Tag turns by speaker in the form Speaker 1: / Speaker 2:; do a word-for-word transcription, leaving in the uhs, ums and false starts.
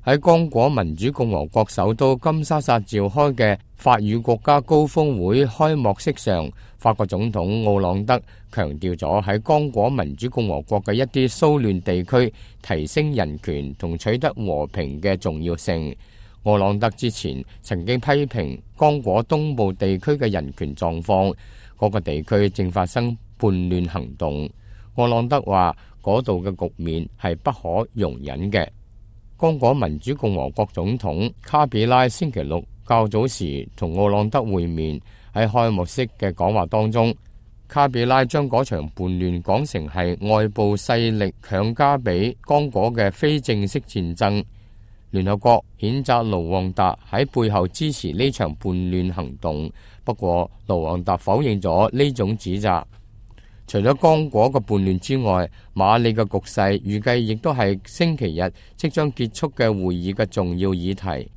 Speaker 1: 喺剛果民主共和國首都金沙薩召開嘅法與國家高峰會開幕式上，法國總統奧朗德強調咗喺剛果民主共和國嘅一啲騷亂地區提升人權同取得和平嘅重要性。奧朗德之前曾經批評剛果東部地區嘅人權狀況，嗰個地區正發生叛亂行動。奧朗德話嗰度嘅局面係不可容忍嘅。剛果民主共和國總統卡比拉星期六較早時同奧朗德會面，喺開幕式嘅講話當中，卡比拉將嗰場叛亂講成係外部勢力強加俾剛果嘅非正式戰爭。聯合國譴責盧旺達喺背後支持呢場叛亂行動，不過盧旺達否認咗呢種指責。除咗剛果嘅叛亂之外，馬里嘅局勢預計亦都係星期日即將結束嘅會議嘅重要議題。